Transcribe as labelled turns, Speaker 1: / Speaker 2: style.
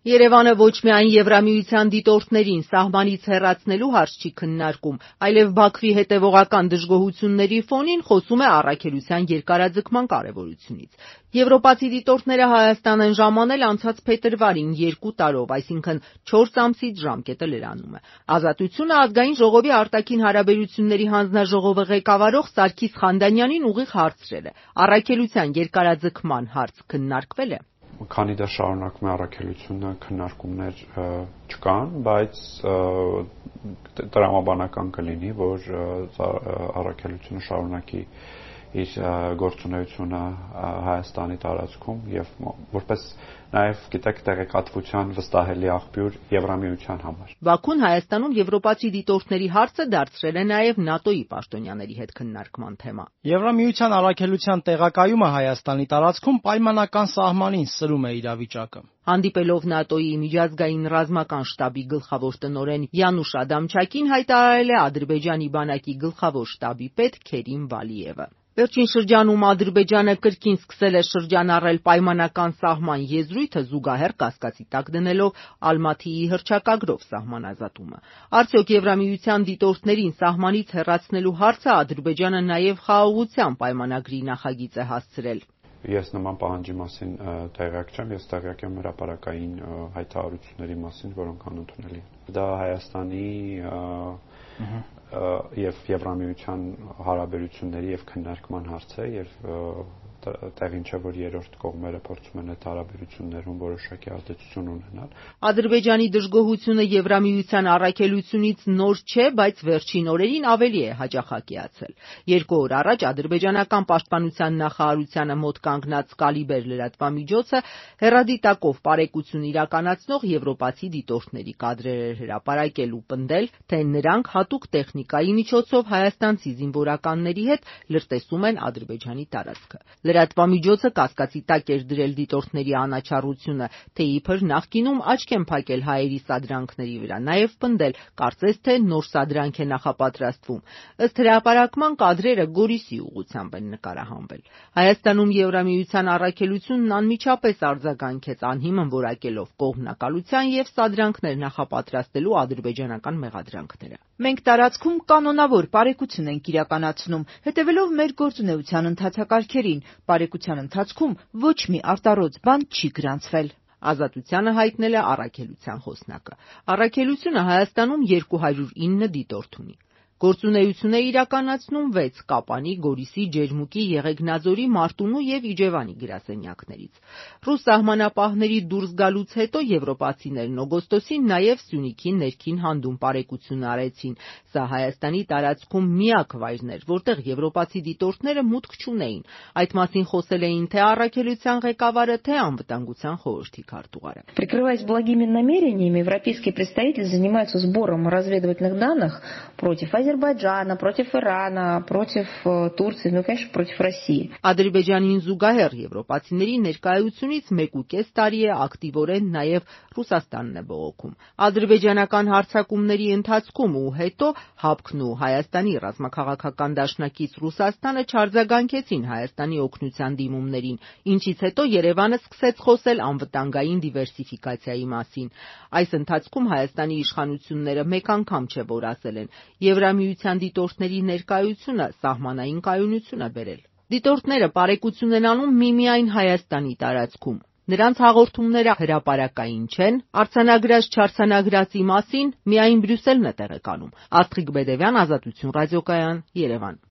Speaker 1: Երևանը ոչ միայն Եվրամիության դիտորդներին սահմանից հեռացնելու հարց չի քննարկում, այլև Բաքվի հետևողական դժգոհությունների ֆոնին խոսում է առաքելության երկարաձգման կարևորությունից։ Եվրոպացի դիտորդները Հայաստան են ժամանել անցած փետրվարին 2 տարով, այսինքն 4 ամսից ժամկետը լրանում է։ Ազատությունը ազգային ժողովի արտաքին հարաբերությունների հանձնաժողովը ղեկավարող Սարգիս Խանդանյանին ուղիղ հարցրել է. առաքելության երկարաձգման հարց քննարկվե՞լ է։
Speaker 2: Քանի դեռ շարունակվում է առաքելությունը, քննարկումներ չկան, բայց տրամաբանական կլինի, որ առաքելությունը շարունակի իր գործունեությունը Հայաստանի տարածքում եւ որպես նաեւ գիտեք տեղեկատվության վստահելի աղբյուր Եվրամիության համար։
Speaker 1: Բաքուն Հայաստանում եվրոպացի դիտորդների հարցը դարձրել է նաեւ ՆԱՏՕ-ի պաշտոնյաների հետ քննարկման թեմա։
Speaker 3: Եվրամիության առաքելության տեղակայումը Հայաստանի տարածքում պայմանական սահմանին սրում է իրավիճակը։
Speaker 1: Հանդիպելով ՆԱՏՕ-ի միջազգային ռազմական շտաբի գլխավոր տնօրեն Յանուշ Ադամչակին հայտարարել է Ադրբեջանի բանակի գլխավոր շտաբի պետ Քերիմ Վալիևը։ Վերջին շրջանում Ադրբեջանը կրկին սկսել է շրջանառել պայմանական սահման եզրույթը զուգահեռ կասկածի տակ դնելով Ալմաթիի հռչակագրով սահմանազատումը։ Արդյոք Եվրամիության դիտորդներին սահմանից հեռացնելու հարցը Ադրբեջանը նաև խաղաղության պայմանագրի նախագիծ է հասցրել։
Speaker 2: Ես նման պահանջի մասին տեղյակ չեմ, ես տեղյակ եմ հրապարակային հայտարարությունների մասին, որոնք անընդունելի են։ Դա Հայաստանի եւ Եվրամիության հարաբերությունների եւ քննարկման հարց է եւ տեղին չէ, որ երրորդ կողմերը փորձում են այդ հարաբերություններում որոշակի ազդեցություն ունենալ։
Speaker 1: Ադրբեջանի դժգոհությունը Եվրամիության առաքելությունից նոր չէ, բայց վերջին օրերին ավելի է հաճախակիացել։ 2 օր առաջ ադրբեջանական պաշտպանության նախարարությանը մոտ կանգնած Կալիբեր լրատվամիջոցը հեռադիտակով պարեկություն իրականացնող եվրոպացի դիտորդների կադրեր էր հրապարակել ու պնդել, թե նրանք հատուկ տեխնիկայի միջոցով հայաստանցի զինվորականների հետ լրտեսում են Ադրբեջանի տարածքը։ Լրատվամիջոցը կասկածի տակ էր դրել դիտորդների անաչառությունը, թե իբր նախկինում աչք են փակել հայերի սադրանքների վրա, նաև պնդել, կարծես թե նոր սադրանք է նախապատրաստվում։ Ըստ հրապարակման կադրերը Գորիսի ուղղությամբ են նկարահանվել։ Հայաստանում Եվրամիության առաքելությունն անմիջապես արձագանքեց անհիմն որակելով կողմնակալության եւ սադրանքներ նախապատրաստելու ադրբեջանական մեղադրանքները։
Speaker 4: Մենք տարածքում կանոնավոր պարեկություն ենք իրականացնում, հետևելով մեր գործունեության ընթացակարգերին։ Պարեկության ընթացքում ոչ մի արտառոց բան չի գրանցվել։
Speaker 1: Ազատությանը հայտնել է առաքելության խոսնակը։ Առաքելությունը Հայաստանում 209 դիտորդ ունի։ Գործունեություն է իրականացնում 6 Կապանի, Գորիսի, Ջերմուկի, Եղեգնաձորի, Մարտունու եւ Իջևանի գրասենյակներից։ Ռուս սահմանապահների դուրս գալուց հետո եվրոպացիներն օգոստոսին նաեւ Սյունիքի ներքին հանդում պարեկություն արեցին։ Սա Հայաստանի տարածքում միակ վայրն էր, որտեղ եվրոպացի դիտորդները մուտք չունեին։ Այդ մասին խոսել էին թե առաքելության ղեկավարը, թե անվտանգության խորհրդի քարտուղարը։
Speaker 5: Прикрываясь благими намерениями, европейские представители занимаются сбором разведывательных данных против Азербайджана, против Ирана, против Турции, ну, конечно, против России.
Speaker 1: Ադրբեջանին զուգահեռ եվրոպացիների ներկայությունից 1.5 տարի է ակտիվորեն նաև Ռուսաստանն է բողոքում։ Ադրբեջանական հարձակումների ընթացքում ու հետո ՀԱՊԿ-ն ու Հայաստանի ռազմաքաղաքական դաշնակից Ռուսաստանը չարձագանքեցին Հայաստանի օգնության դիմումներին, ինչից հետո Երևանը սկսեց խոսել անվտանգային դիվերսիֆիկացիայի մասին։ Այս ընթացքում Հայաստանի իշխանությունները մեկ անգամ չէ որ ասել են, Եվրամիության դիտորդների ներկայությունը սահմանային կայունություն է բերել։ Դիտորդները պարեկություն են անում միմիայն Հայաստանի տարածքում։ Նրանց հաղորդումները հրապարակային չեն, արձանագրած-չարձանագրածի մասին միայն Բրյուսելն է տեղեկանում։ Աստղիկ Բեդևյան, Ազատություն ռադիոկայան, Երևան։